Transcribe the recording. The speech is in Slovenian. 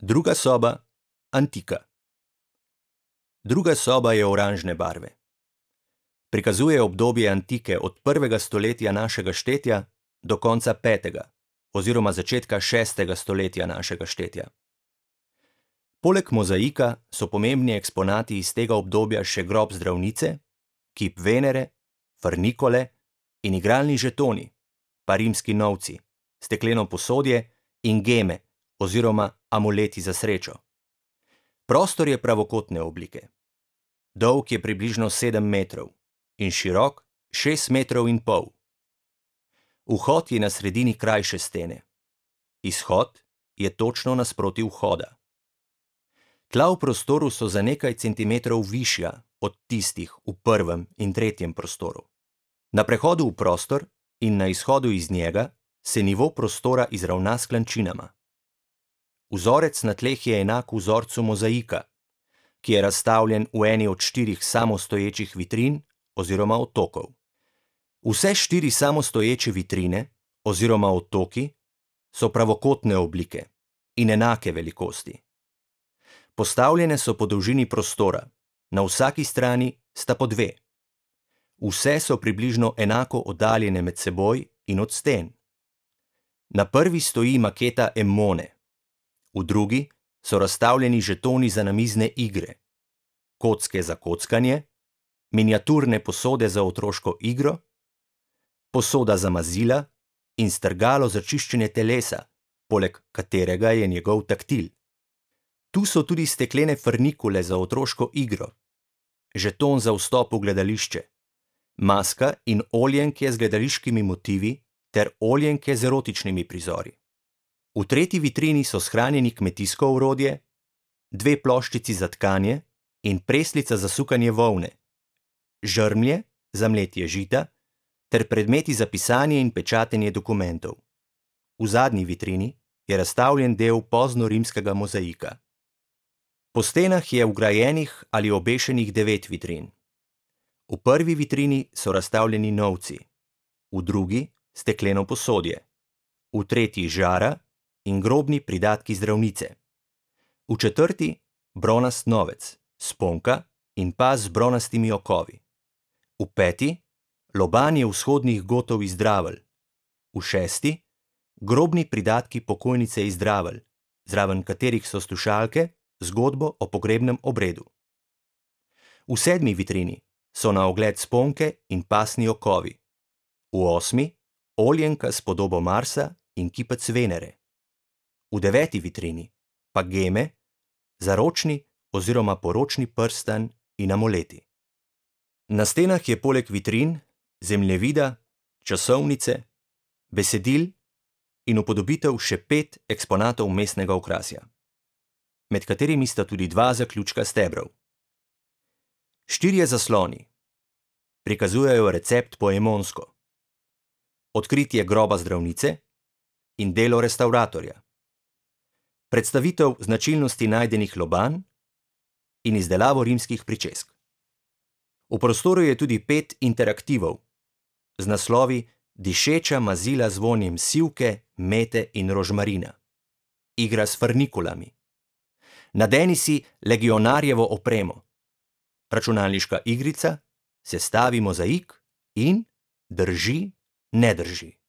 Druga soba, antika. Druga soba je oranžne barve. Prikazuje obdobje antike od 1. stoletja našega štetja do konca 5. oziroma začetka 6. stoletja našega štetja. Poleg mozaika so pomembni eksponati iz tega obdobja še grob zdravnice, kip Venere, frnikole in igralni žetoni, pa rimski novci, stekleno posodje in geme oziroma amuleti za srečo. Prostor je pravokotne oblike. Dolg je približno 7 metrov in širok 6,5 metrov. Vhod je na sredini krajše stene. Izhod je točno nasproti vhoda. Tla v prostoru so za nekaj centimetrov višja od tistih v 1. in 3. prostoru. Na prehodu v prostor in na izhodu iz njega se nivo prostora izravna s klančinama. Vzorec na tleh je enak vzorcu mozaika, ki je razstavljen v eni od 4 samostoječih vitrin oziroma otokov. Vse 4 samostoječe vitrine oziroma otoki so pravokotne oblike in enake velikosti. Postavljene so po dolžini prostora, na vsaki strani sta po 2. Vse so približno enako oddaljene med seboj in od sten. Na prvi stoji maketa Emone, v drugi so razstavljeni žetoni za namizne igre, kocke za kockanje, miniaturne posode za otroško igro, posoda za mazila in strgalo za čiščenje telesa, poleg katerega je njegov taktil. Tu so tudi steklene frnikule za otroško igro, žeton za vstop v gledališče, maska in oljenke z gledališkimi motivi ter oljenke z erotičnimi prizori. V 3. vitrini so shranjeni kmetijsko orodje, 2 ploščici za tkanje in preslica za sukanje volne, žrmlje za mletje žita ter predmeti za pisanje in pečatenje dokumentov. V zadnji vitrini je razstavljen del poznorimskega mozaika. Po stenah je vgrajenih ali obešenih 9 vitrin. V 1. vitrini so razstavljeni novci, v drugi stekleno posodje, v 3. žara in grobni pridatki zdravnice, v 4. bronast novec, sponka in pas z bronastimi okovi, v 5. lobanje vzhodnih gotov iz Dravelj, v 6. grobni pridatki pokojnice iz Dravelj, zraven katerih so slušalke, zgodbo o pogrebnem obredu. V 7. vitrini so na ogled sponke in pasni okovi, v 8. oljenka s podobo Marsa in kipec Venere, v 9. vitrini pa geme, zaročni oziroma poročni prstan in amuleti. Na stenah je poleg vitrin, zemljevida, časovnice, besedil in upodobitev še 5 eksponatov mestnega okrasja, med katerimi sta tudi 2 zaključka stebrov. 4 zasloni prikazujejo recept poemonsko, odkritje groba zdravnice in delo restavratorja, predstavitev značilnosti najdenih lobanj in izdelavo rimskih pričesk. V prostoru je tudi 5 interaktivov z naslovi Dišeča mazila z vonjem sivke, mete in rožmarina, igra s frnikulami, nadeni si legionarjevo opremo, računalniška igrica, sestavi mozaik in drži, ne drži.